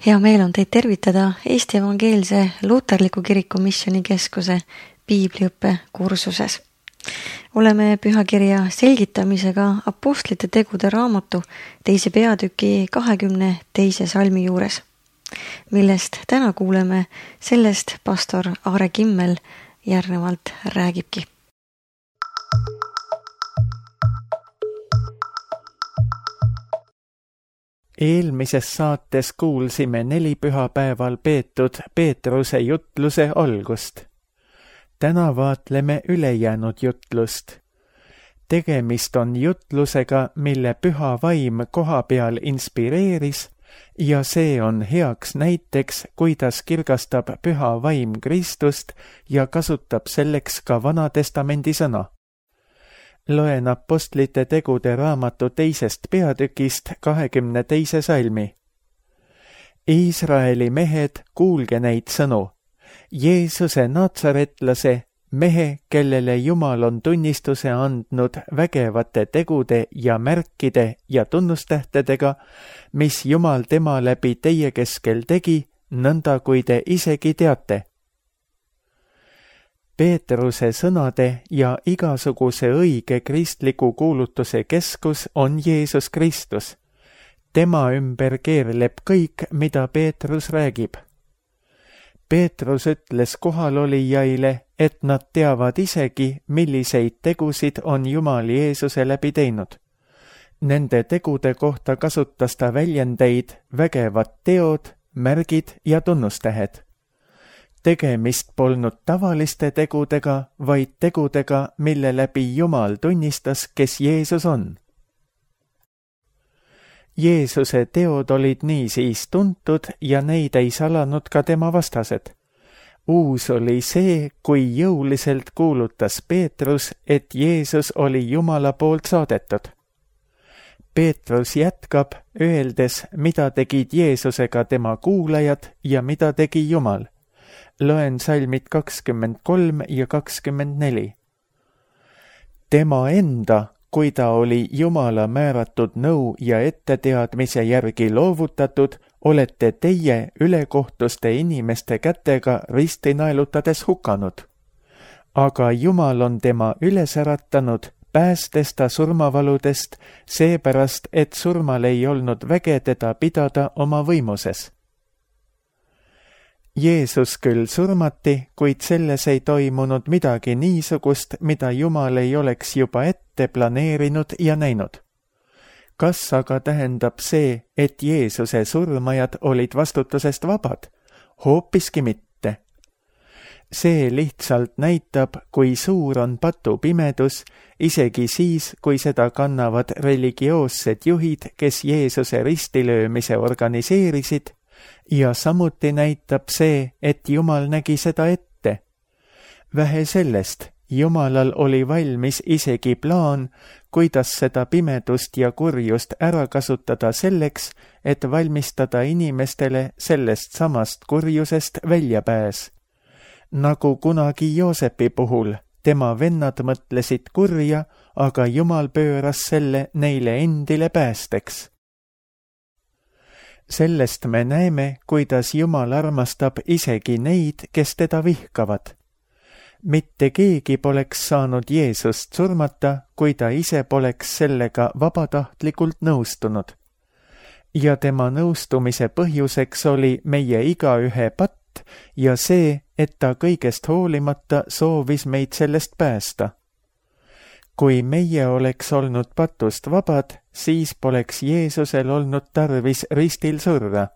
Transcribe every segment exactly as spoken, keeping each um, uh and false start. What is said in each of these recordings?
Hea meel on teid tervitada Eesti Evangeelse Luterliku Kiriku Missioonikeskuse piibliõppe kursuses. Oleme pühakirja selgitamisega Apostlite tegude raamatu teise peatüki kahekümne teise salmi juures, millest täna kuuleme, sellest pastor Aare Kimmel järgnevalt räägibki. Eelmises saates kuulsime neli pühapäeval peetud Peetruse jutluse algust. Täna vaatleme ülejäänud jutlust. Tegemist on jutlusega, mille püha vaim koha peal inspireeris ja see on heaks näiteks, kuidas kirgastab püha vaim Kristust ja kasutab selleks ka Vanatestamendi sõna. Loen Apostlite tegude raamatu teisest peatükist kahekümne teise salmi. Iisraeli mehed, kuulge neid sõnu. Jeesuse natsaretlase, mehe, kellele Jumal on tunnistuse andnud vägevate tegude ja märkide ja tunnustähtedega, mis Jumal tema läbi teie keskel tegi, nõnda kui te isegi teate. Peetruse sõnade ja igasuguse õige kristliku kuulutuse keskus on Jeesus Kristus. Tema ümber keerleb kõik, mida Peetrus räägib. Peetrus ütles kohalolijaile, et nad teavad isegi, milliseid tegusid on Jumal Jeesuse läbi teinud. Nende tegude kohta kasutas ta väljendeid vägevad teod, märgid ja tunnustähed. Tegemist polnud tavaliste tegudega, vaid tegudega, mille läbi Jumal tunnistas, kes Jeesus on. Jeesuse teod olid niisiis tuntud ja neid ei salanud ka tema vastased. Uus oli see, kui jõuliselt kuulutas Peetrus, et Jeesus oli Jumala poolt saadetud. Peetrus jätkab, öeldes, mida tegid Jeesusega tema kuulajad ja mida tegi Jumal. Loen salmid kakskümmend kolm ja kakskümmend neli. Tema enda, kui ta oli Jumala määratud nõu ja etteteadmise järgi loovutatud, olete teie ülekohtuste inimeste kätega ristinaelutades hukanud. Aga Jumal on tema üles äratanud, päästes ta surmavaludest, seepärast, et surmal ei olnud väge teda pidada oma võimuses. Jeesus küll surmati, kuid selles ei toimunud midagi niisugust, mida Jumal ei oleks juba ette planeerinud ja näinud. Kas aga tähendab see, et Jeesuse surmajad olid vastutusest vabad? Hoopiski mitte. See lihtsalt näitab, kui suur on patupimedus, isegi siis, kui seda kannavad religioossed juhid, kes Jeesuse ristilöömise organiseerisid, ja samuti näitab see, et Jumal nägi seda ette. Vähe sellest, Jumalal oli valmis isegi plaan, kuidas seda pimedust ja kurjust ära kasutada selleks, et valmistada inimestele sellest samast kurjusest väljapääs. Nagu kunagi Joosepi puhul, tema vennad mõtlesid kurja, aga Jumal pööras selle neile endile päästeks. Sellest me näeme, kuidas Jumal armastab isegi neid, kes teda vihkavad. Mitte keegi poleks saanud Jeesust surmata, kui ta ise poleks sellega vabatahtlikult nõustunud. Ja tema nõustumise põhjuseks oli meie igaühe patt ja see, et ta kõigest hoolimata soovis meid sellest päästa. Kui meie oleks olnud patust vabad, siis poleks Jeesusel olnud tarvis ristil surra.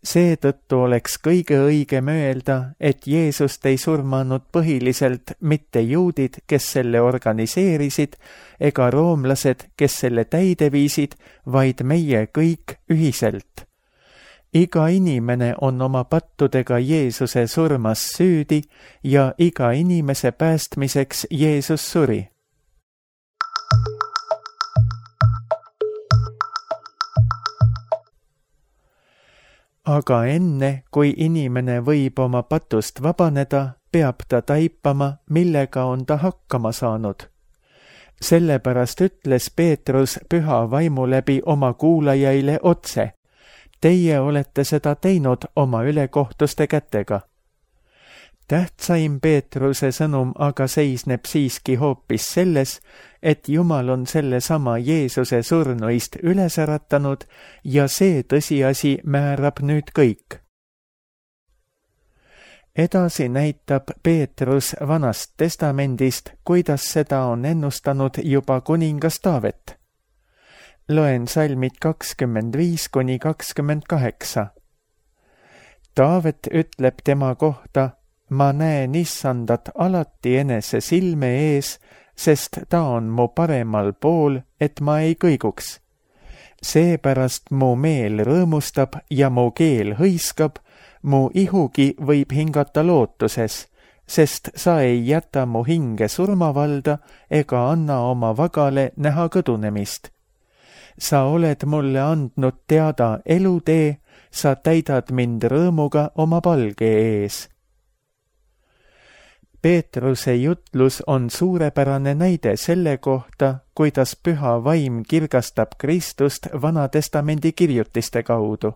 Seetõttu oleks kõige õigem öelda, et Jeesust ei surmanud põhiliselt mitte juudid, kes selle organiseerisid, ega roomlased, kes selle täide viisid, vaid meie kõik ühiselt. Iga inimene on oma pattudega Jeesuse surmas süüdi ja iga inimese päästmiseks Jeesus suri. Aga enne, kui inimene võib oma patust vabaneda, peab ta taipama, millega on ta hakkama saanud. Sellepärast ütles Peetrus püha vaimu läbi oma kuulajaile otse. Teie olete seda teinud oma ülekohtuste kätega. Tähtsaim Peetruse sõnum aga seisneb siiski hoopis selles, et Jumal on sellesama Jeesuse surnuist üles äratanud ja see tõsiasi määrab nüüd kõik. Edasi näitab Peetrus Vanast Testamendist, kuidas seda on ennustanud juba kuningas Taavet. Loen salmid kakskümmend viis kuni kakskümmend kaheksa. Taavet ütleb tema kohta: ma näen Issandat alati enese silme ees, sest ta on mu paremal pool, et ma ei kõiguks. Seepärast mu meel rõõmustab ja mu keel hõiskab, mu ihugi võib hingata lootuses, sest sa ei jäta mu hinge surmavalda ega anna oma vagale näha kõdunemist. Sa oled mulle andnud teada elutee, sa täidad mind rõõmuga oma palge ees. Peetruse jutlus on suurepärane näide selle kohta, kuidas püha vaim kirgastab Kristust Vanatestamendi kirjutiste kaudu.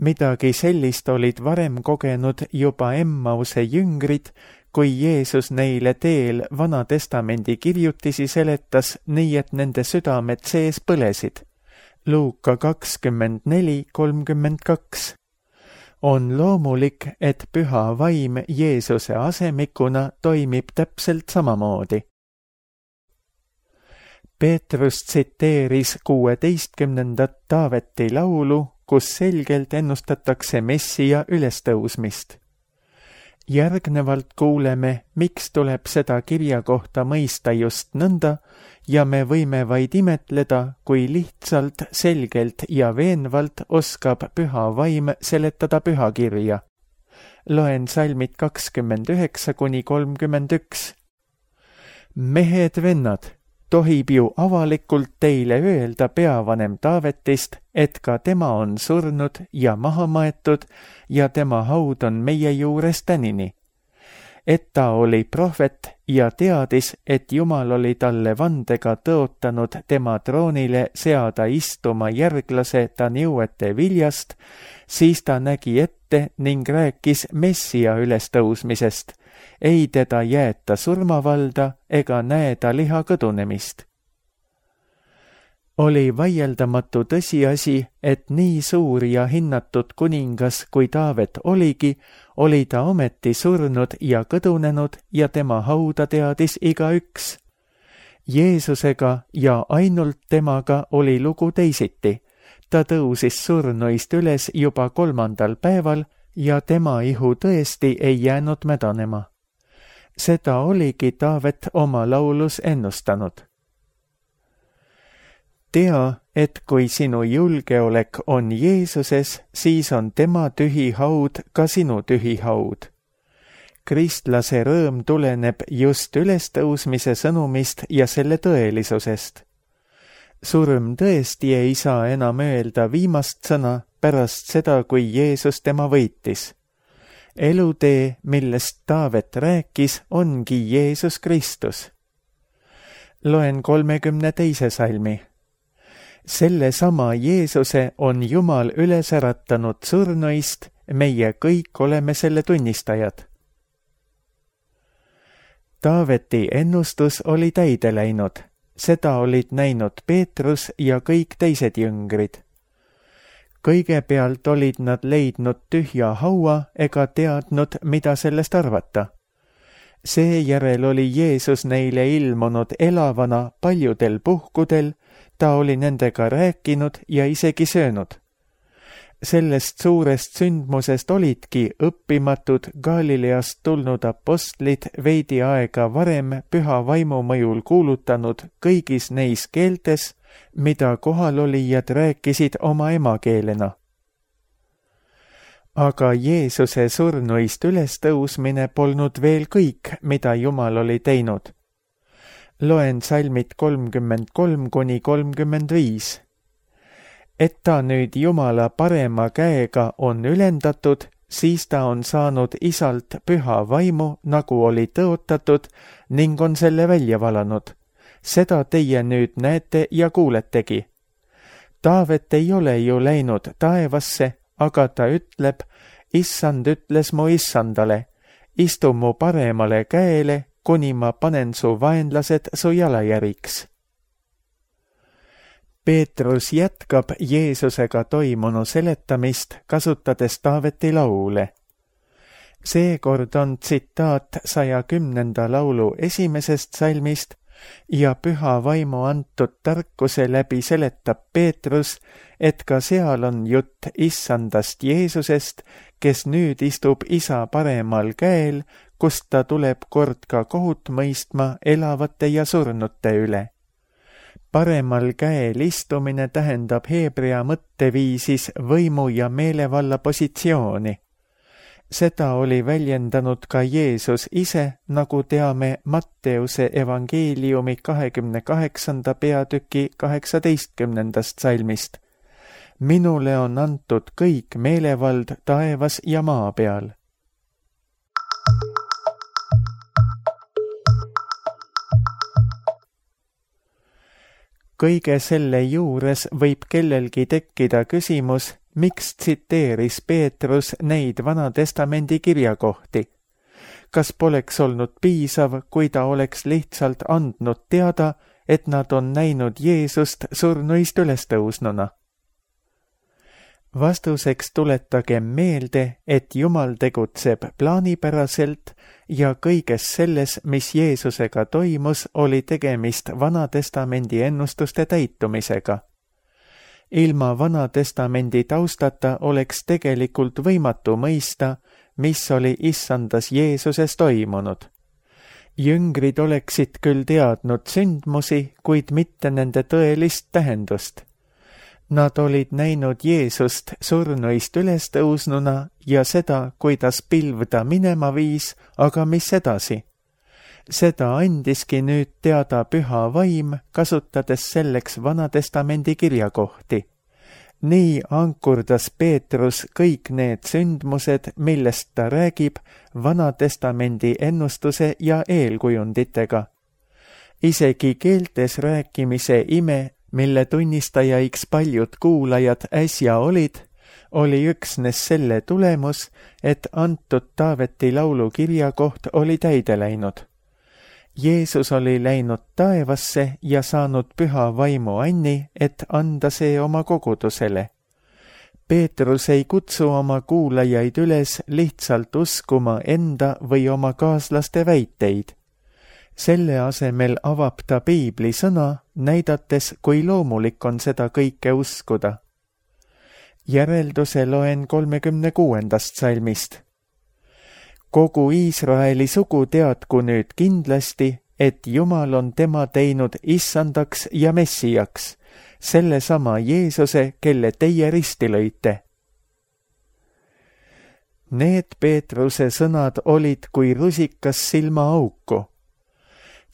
Midagi sellist olid varem kogenud juba Emmause jüngrid, kui Jeesus neile teel Vanatestamendi kirjutisi seletas nii, et nende südamed sees põlesid. Luuka kakskümmend neli kolmkümmend kaks. On loomulik, et püha vaim Jeesuse asemikuna toimib täpselt samamoodi. Peetrus tsiteeris kuueteistkümnendat Taaveti laulu, kus selgelt ennustatakse Messia ülestõusmist. Järgnevalt kuuleme, miks tuleb seda kirja kohta mõista just nõnda ja me võime vaid imetleda, kui lihtsalt, selgelt ja veenvalt oskab püha vaim seletada pühakirja. Loen salmid kakskümmend üheksa kuni kolmkümmend üks. Mehed vennad, tohib ju avalikult teile öelda peavanem Taavetist, et ka tema on surnud ja maha maetud ja tema haud on meie juures tänini. Et ta oli prohvet ja teadis, et Jumal oli talle vandega tõotanud tema troonile seada istuma järglase ta nõuete viljast, siis ta nägi ette ning rääkis Messia ülestõusmisest. Ei teda jäeta surmavalda ega näe ta liha kõdunemist. Oli vaieldamatu tõsiasi, et nii suur ja hinnatud kuningas kui Taavet oligi, oli ta ometi surnud ja kõdunenud ja tema hauda teadis igaüks. Jeesusega ja ainult temaga oli lugu teisiti. Ta tõusis surnuist üles juba kolmandal päeval ja tema ihu tõesti ei jäänud mädanema. Seda oligi Taavet oma laulus ennustanud. Tea, et kui sinu julgeolek on Jeesuses, siis on tema tühi haud ka sinu tühi haud. Kristlase rõõm tuleneb just ülestõusmise sõnumist ja selle tõelisusest. Surm tõesti ei saa enam öelda viimast sõna pärast seda, kui Jeesus tema võitis. Elutee, millest Taavet rääkis, ongi Jeesus Kristus. Loen kolmekümne teise salmi. Selle sama Jeesuse on Jumal üles äratanud surnuist, meie kõik oleme selle tunnistajad. Taaveti ennustus oli täide läinud, seda olid näinud Peetrus ja kõik teised jüngrid. Kõigepealt olid nad leidnud tühja haua ega teadnud, mida sellest arvata. Seejärel oli Jeesus neile ilmunud elavana paljudel puhkudel, ta oli nendega rääkinud ja isegi söönud. Sellest suurest sündmusest olidki õppimatud Galileast tulnud apostlid veidi aega varem püha vaimu mõjul kuulutanud kõigis neis keeltes, mida kohalolijad rääkisid oma emakeelena. Aga Jeesuse surnuist ülestõusmine polnud veel kõik, mida Jumal oli teinud. Loen salmid kolmkümmend kolm kuni kolmkümmend viis. Et ta nüüd Jumala parema käega on ülendatud, siis ta on saanud isalt püha vaimu, nagu oli tõotatud, ning on selle välja valanud. Seda teie nüüd näete ja kuuletegi. Taavet ei ole ju läinud taevasse, aga ta ütleb, issand ütles mu issandale, istu mu paremale käele, kuni ma panen su vaenlased su jalajäriks. Peetrus jätkab Jeesusega toimunu seletamist, kasutades Taaveti laule. Seekord on tsitaat saja kümnenda laulu esimesest salmist ja püha vaimu antud tarkuse läbi seletab Peetrus, et ka seal on jutt issandast Jeesusest, kes nüüd istub isa paremal käel, kust ta tuleb kord ka kohut mõistma elavate ja surnute üle. Paremal käel istumine tähendab heebrea mõtteviisis võimu ja meelevalla positsiooni. Seda oli väljendanud ka Jeesus ise, nagu teame Matteuse evangeeliumi kahekümne kaheksanda peatüki kaheksateistkümnendast salmist. Minule on antud kõik meelevald taevas ja maa peal. Kõige selle juures võib kellelgi tekkida küsimus, miks tsiteeris Peetrus neid Vana-testamendi kirjakohti. Kas poleks olnud piisav, kui ta oleks lihtsalt andnud teada, et nad on näinud Jeesust surnuist ülestõusnuna? Vastuseks tuletagem meelde, et Jumal tegutseb plaanipäraselt ja kõiges selles, mis Jeesusega toimus, oli tegemist Vana-testamendi ennustuste täitumisega. Ilma Vana-testamendi taustata oleks tegelikult võimatu mõista, mis oli issandas Jeesuses toimunud. Jüngrid oleksid küll teadnud sündmusi, kuid mitte nende tõelist tähendust. Nad olid näinud Jeesust surnuist ülestõusnuna ja seda, kuidas pilv ta minema viis, aga mis edasi? Seda andiski nüüd teada püha vaim, kasutades selleks Vana-testamendi kirjakohti. Nii ankurdas Peetrus kõik need sündmused, millest ta räägib, Vana-testamendi ennustuse ja eelkujunditega. Isegi keeltes rääkimise ime, mille tunnistajaiks paljud kuulajad äsja olid, oli üksnes selle tulemus, et antud Taaveti laulu kirjakoht oli täide läinud. Jeesus oli läinud taevasse ja saanud püha vaimu anni, et anda see oma kogudusele. Peetrus ei kutsu oma kuulajaid üles lihtsalt uskuma enda või oma kaaslaste väiteid. Selle asemel avab ta piibli sõna, näidates, kui loomulik on seda kõike uskuda. Järelduse loen kolmekümne kuuendast salmist. Kogu Iisraeli sugu teadku nüüd kindlasti, et Jumal on tema teinud issandaks ja messijaks, sellesama Jeesuse, kelle teie risti lõite. Need Peetruse sõnad olid kui rusikas silmaauku.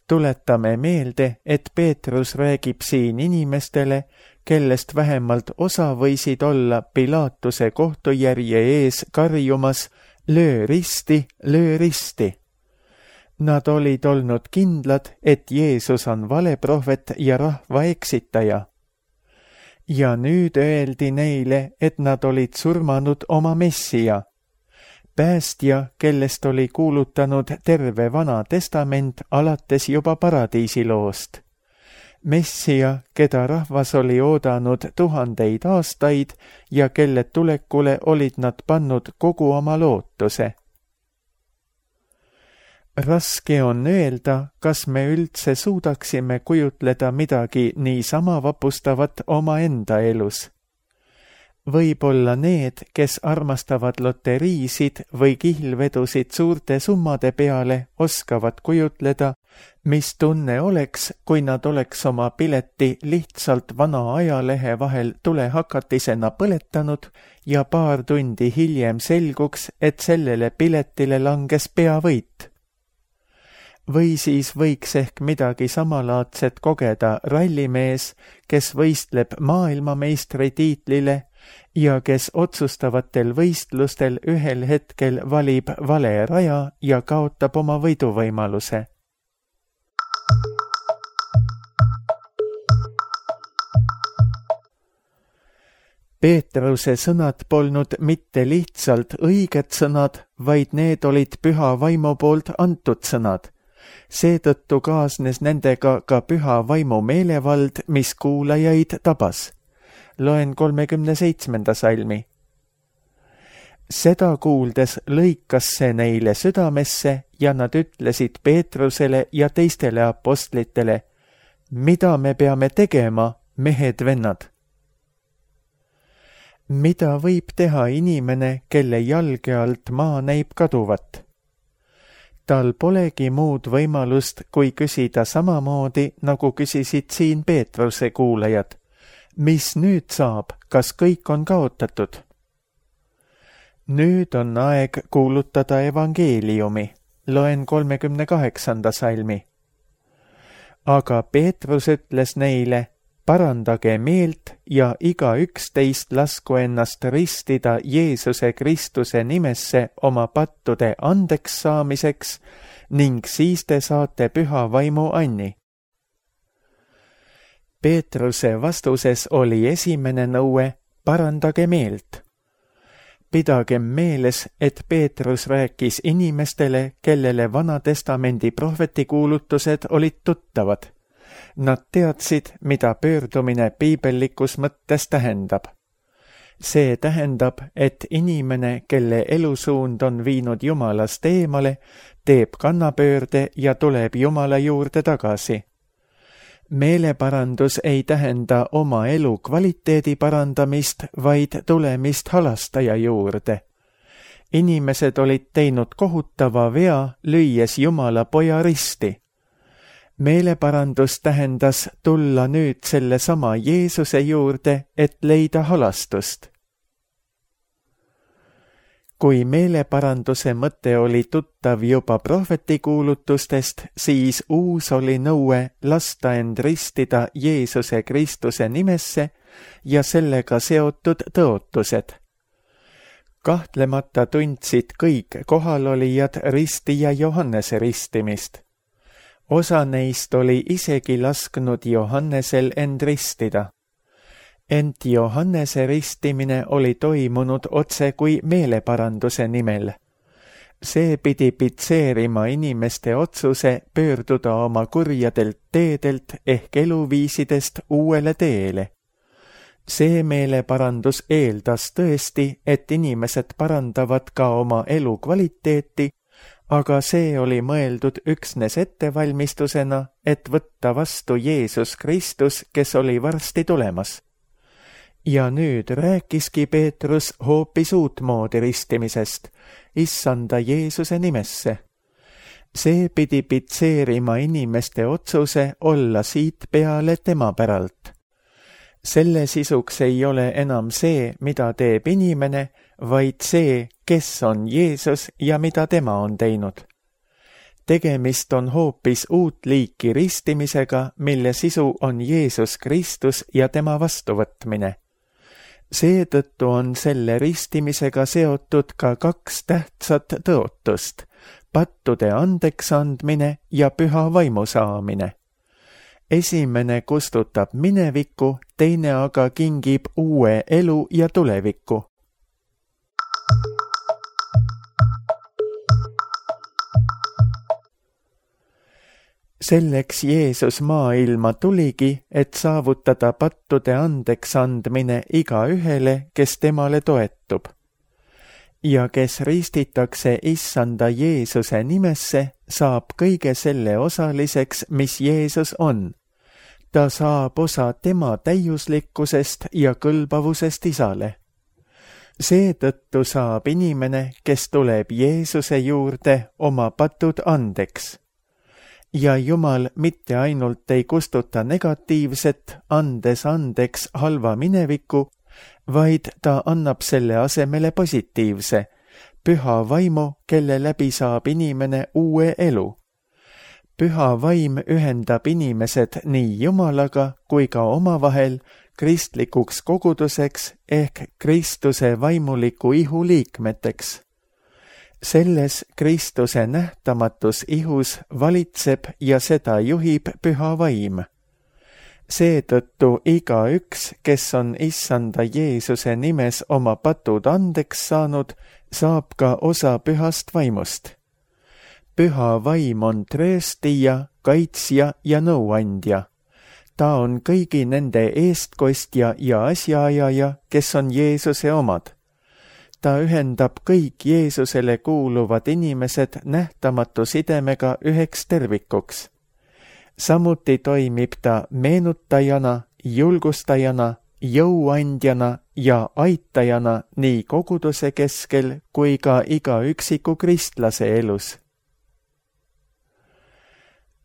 Tuletame meelde, et Peetrus räägib siin inimestele, kellest vähemalt osa võisid olla Pilaatuse kohtujärje ees karjumas löö risti, löö risti. Nad olid olnud kindlad, et Jeesus on valeprohvet ja rahva eksitaja. Ja nüüd öeldi neile, et nad olid surmanud oma messija. Päästja, kellest oli kuulutanud terve Vana testament alates juba paradiisiloost. Messija, keda rahvas oli oodanud tuhandeid aastaid ja kelle tulekule olid nad pannud kogu oma lootuse. Raske on öelda, kas me üldse suudaksime kujutleda midagi niisama vapustavat omaenda elus. Võib-olla need, kes armastavad loteriisid või kihlvedusid suurte summade peale, oskavad kujutleda, mis tunne oleks, kui nad oleks oma pileti lihtsalt vana ajalehe vahel tulehakatisena põletanud ja paar tundi hiljem selguks, et sellele piletile langes peavõit. Või siis võiks ehk midagi samalaadset kogeda rallimees, kes võistleb maailmameistri tiitlile ja kes otsustavatel võistlustel ühel hetkel valib vale raja ja kaotab oma võiduvõimaluse. Peetruse sõnad polnud mitte lihtsalt õiged sõnad, vaid need olid püha vaimu poolt antud sõnad. Seetõttu kaasnes nendega ka püha vaimu meelevald, mis kuulajaid tabas. Loen kolmekümne seitsmenda salmi. Seda kuuldes lõikas see neile südamesse ja nad ütlesid Peetrusele ja teistele apostlitele, mida me peame tegema, mehed-vennad? Mida võib teha inimene, kelle jalge alt maa näib kaduvat? Tal polegi muud võimalust, kui küsida samamoodi, nagu küsisid siin Peetruse kuulajad. Mis nüüd saab, kas kõik on kaotatud? Nüüd on aeg kuulutada evangeeliumi. Loen kolmekümne kaheksanda salmi. Aga Peetrus ütles neile, parandage meelt ja iga üksteist lasku ennast ristida Jeesuse Kristuse nimesse oma pattude andeks saamiseks ning siis te saate püha vaimu anni. Peetruse vastuses oli esimene nõue, parandage meelt. Pidagem meeles, et Peetrus rääkis inimestele, kellele Vana-testamendi prohvetikuulutused olid tuttavad. Nad teadsid, mida pöördumine piibellikus mõttes tähendab. See tähendab, et inimene, kelle elusuund on viinud Jumalast eemale, teeb kannapöörde ja tuleb Jumala juurde tagasi. Meeleparandus ei tähenda oma elu kvaliteedi parandamist, vaid tulemist halastaja juurde. Inimesed olid teinud kohutava vea, lüües Jumala poja risti. Meeleparandus tähendas tulla nüüd selle sama Jeesuse juurde, et leida halastust. Kui meeleparanduse mõte oli tuttav juba prohvetikuulutustest, siis uus oli nõue lasta end ristida Jeesuse Kristuse nimesse ja sellega seotud tõotused. Kahtlemata tundsid kõik kohalolijad ristija Johannese ristimist. Osa neist oli isegi lasknud Johannesel end ristida. Ent Johannese ristimine oli toimunud otse kui meeleparanduse nimel. See pidi pitseerima inimeste otsuse pöörduda oma kurjadelt teedelt ehk eluviisidest uuele teele. See meeleparandus eeldas tõesti, et inimesed parandavad ka oma elu kvaliteeti, aga see oli mõeldud üksnes ettevalmistusena, et võtta vastu Jeesus Kristus, kes oli varsti tulemas. Ja nüüd rääkiski Peetrus hoopis uutmoodi ristimisest, issanda Jeesuse nimesse. See pidi pitseerima inimeste otsuse olla siit peale tema päralt. Selle sisuks ei ole enam see, mida teeb inimene, vaid see, kes on Jeesus ja mida tema on teinud. Tegemist on hoopis uut liiki ristimisega, mille sisu on Jeesus Kristus ja tema vastuvõtmine. Seetõttu on selle ristimisega seotud ka kaks tähtsat tõotust, pattude andeks andmine ja püha vaimu saamine. Esimene kustutab minevikku, teine aga kingib uue elu ja tulevikku. Selleks Jeesus maailma tuligi, et saavutada pattude andeks andmine igaühele, kes temale toetub. Ja kes ristitakse issanda Jeesuse nimesse, saab kõige selle osaliseks, mis Jeesus on. Ta saab osa tema täiuslikkusest ja kõlbavusest isale. Seetõttu saab inimene, kes tuleb Jeesuse juurde, oma patud andeks. Ja Jumal mitte ainult ei kustuta negatiivset, andes andeks halva mineviku, vaid ta annab selle asemele positiivse, püha vaimu, kelle läbi saab inimene uue elu. Püha vaim ühendab inimesed nii Jumalaga kui ka omavahel kristlikuks koguduseks ehk Kristuse vaimuliku ihu liikmeteks. Selles Kristuse nähtamatus ihus valitseb ja seda juhib püha vaim. Seetõttu igaüks, kes on issanda Jeesuse nimes oma patud andeks saanud, saab ka osa pühast vaimust. Püha vaim on trööstija, kaitsja ja nõuandja. Ta on kõigi nende eestkostja ja asjaajaja, kes on Jeesuse omad. Ta ühendab kõik Jeesusele kuuluvad inimesed nähtamatu sidemega üheks tervikuks. Samuti toimib ta meenutajana, julgustajana, jõuandjana ja aitajana nii koguduse keskel kui ka iga üksiku kristlase elus.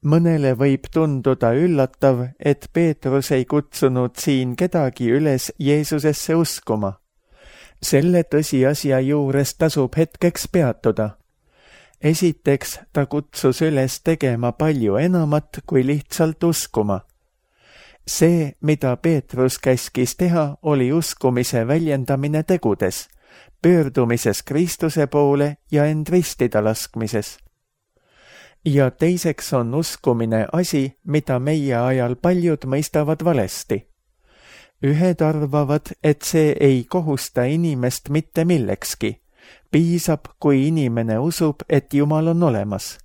Mõnele võib tunduda üllatav, et Peetrus ei kutsunud siin kedagi üles Jeesusesse uskuma. Selle tõsiasja juures tasub hetkeks peatuda. Esiteks ta kutsus üles tegema palju enamat kui lihtsalt uskuma. See, mida Peetrus käskis teha, oli uskumise väljendamine tegudes, pöördumises Kristuse poole ja end ristida laskmises. Ja teiseks on uskumine asi, mida meie ajal paljud mõistavad valesti. Ühed arvavad, et see ei kohusta inimest mitte millekski. Piisab, kui inimene usub, et Jumal on olemas.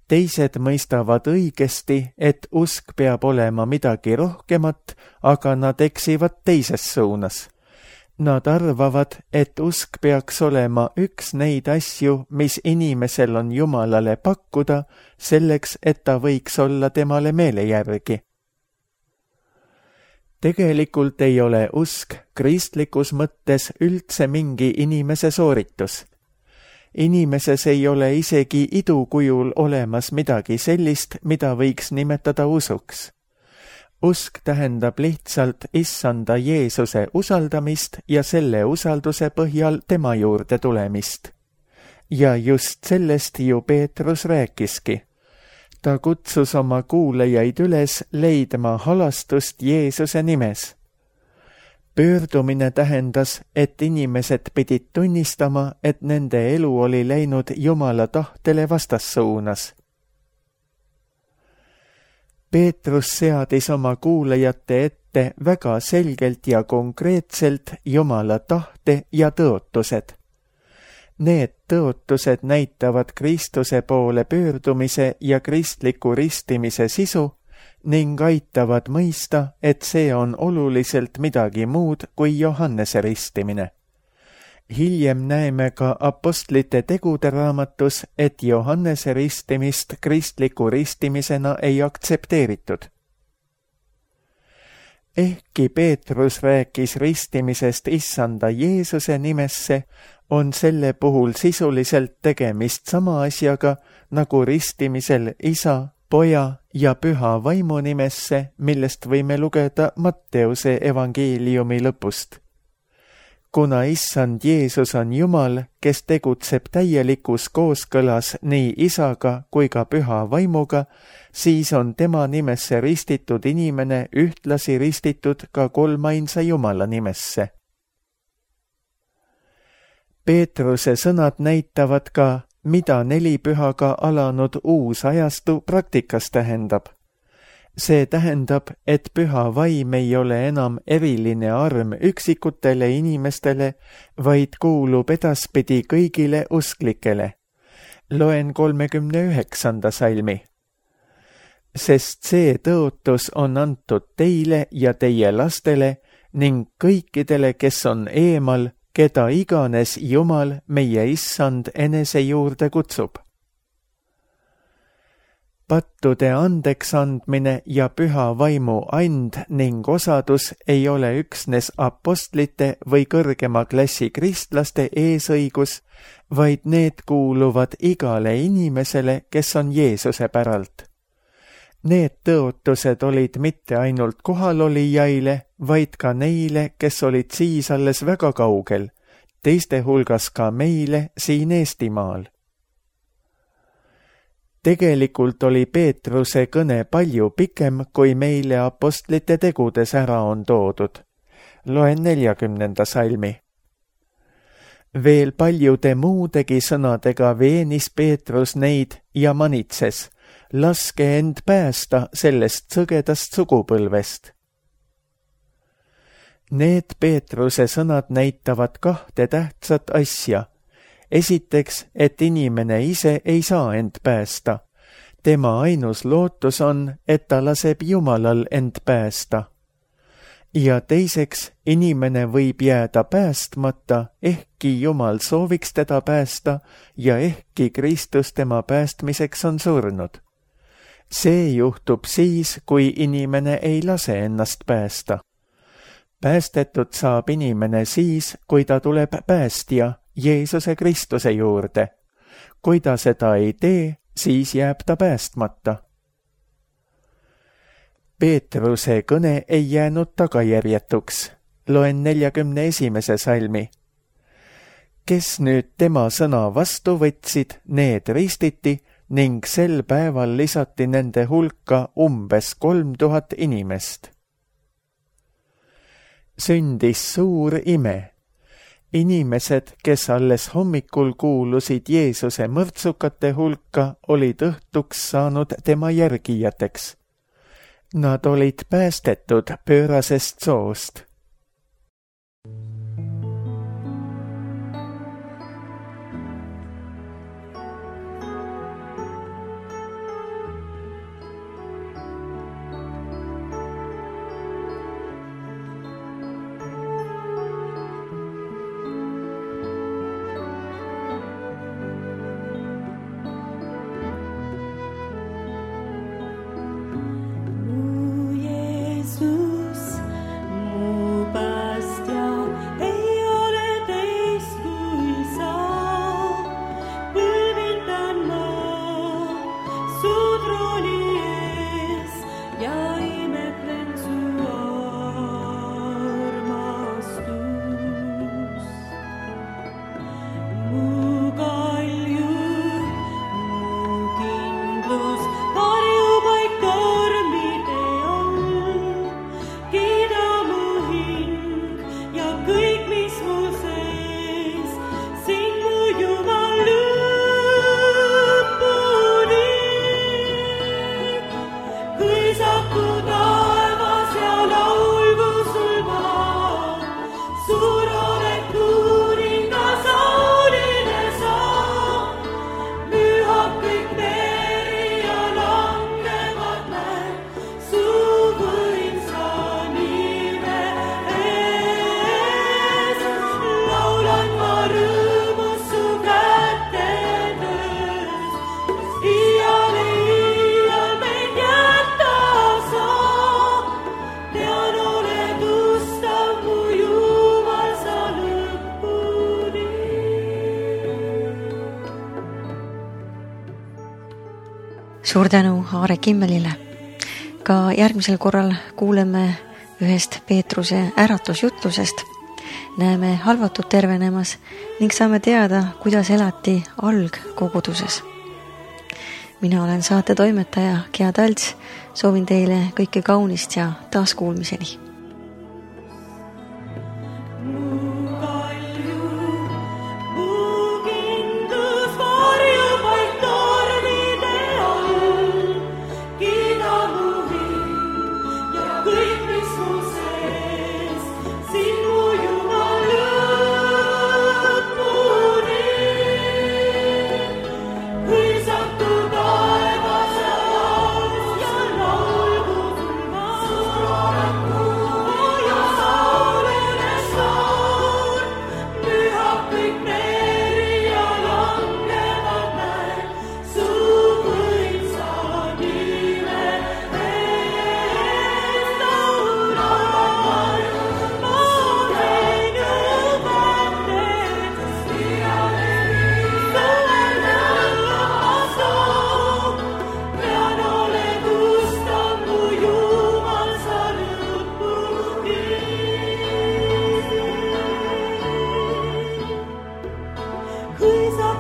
Teised mõistavad õigesti, et usk peab olema midagi rohkemat, aga nad eksivad teises suunas. Nad arvavad, et usk peaks olema üks neid asju, mis inimesel on Jumalale pakkuda, selleks, et ta võiks olla temale meele järgi. Tegelikult ei ole usk kristlikus mõttes üldse mingi inimese sooritus. Inimeses ei ole isegi idukujul olemas midagi sellist, mida võiks nimetada usuks. Usk tähendab lihtsalt issanda Jeesuse usaldamist ja selle usalduse põhjal tema juurde tulemist. Ja just sellest ju Peetrus rääkiski. Ta kutsus oma kuulajaid üles leidma halastust Jeesuse nimes. Pöördumine tähendas, et inimesed pidid tunnistama, et nende elu oli läinud Jumala tahtele vastassuunas. Peetrus seadis oma kuulajate ette väga selgelt ja konkreetselt Jumala tahte ja tõotused. Need tõotused näitavad Kristuse poole pöördumise ja kristliku ristimise sisu ning aitavad mõista, et see on oluliselt midagi muud kui Johannese ristimine. Hiljem näeme ka apostlite tegude raamatus, et Johannese ristimist kristliku ristimisena ei aktsepteeritud. Ehkki Peetrus rääkis ristimisest issanda Jeesuse nimesse, on selle puhul sisuliselt tegemist sama asjaga nagu ristimisel isa, poja ja püha vaimu nimesse, millest võime lugeda Matteuse evangeeliumi lõpust. Kuna issand Jeesus on Jumal, kes tegutseb täielikus kooskõlas nii isaga kui ka püha vaimuga, siis on tema nimesse ristitud inimene ühtlasi ristitud ka kolmainsa Jumala nimesse. Peetruse sõnad näitavad ka, mida nelipühaga alanud uus ajastu praktikas tähendab. See tähendab, et püha vaim ei ole enam eriline arm üksikutele inimestele, vaid kuulub edaspidi kõigile usklikele. Loen kolmekümne üheksanda salmi. Sest see tõotus on antud teile ja teie lastele ning kõikidele, kes on eemal, keda iganes Jumal, meie issand, enese juurde kutsub. Pattude andeks andmine ja püha vaimu and ning osadus ei ole üksnes apostlite või kõrgema klassi kristlaste eesõigus, vaid need kuuluvad igale inimesele, kes on Jeesuse päralt. Need tõotused olid mitte ainult kohalolijaile, vaid ka neile, kes olid siis alles väga kaugel, teiste hulgas ka meile siin Eestimaal. Tegelikult oli Peetruse kõne palju pikem, kui meile apostlite tegudes ära on toodud. Loen neljakümnenda salmi. Veel paljude muudegi sõnadega veenis Peetrus neid ja manitses. laske end päästa sellest sõgedast sugupõlvest. Need Peetruse sõnad näitavad kahte tähtsat asja. Esiteks, et inimene ise ei saa end päästa. Tema ainus lootus on, et ta laseb Jumalal end päästa. Ja teiseks, inimene võib jääda päästmata, ehkki Jumal sooviks teda päästa ja ehkki Kristus tema päästmiseks on surnud. See juhtub siis, kui inimene ei lase ennast päästa. Päästetud saab inimene siis, kui ta tuleb päästja Jeesuse Kristuse juurde. Kui ta seda ei tee, siis jääb ta päästmata. Peetruse kõne ei jäänud tagajärjetuks. Loen neljakümne esimese salmi. Kes nüüd tema sõna vastu võtsid, need ristiti ning sel päeval lisati nende hulka umbes kolm tuhat inimest. Sündis suur ime. Inimesed, kes alles hommikul kuulusid Jeesuse mõrtsukate hulka, olid õhtuks saanud tema järgijateks. Nad olid päästetud pöörasest soost. Suur tänu Aare Kimmelile. Ka järgmisel korral kuuleme ühest Peetruse äratusjutlusest. Näeme halvatud tervenemas ning saame teada, kuidas elati algkoguduses. Mina olen saate toimetaja Gea Talts. Soovin teile kõike kaunist ja taaskuulmiseni. Kui sa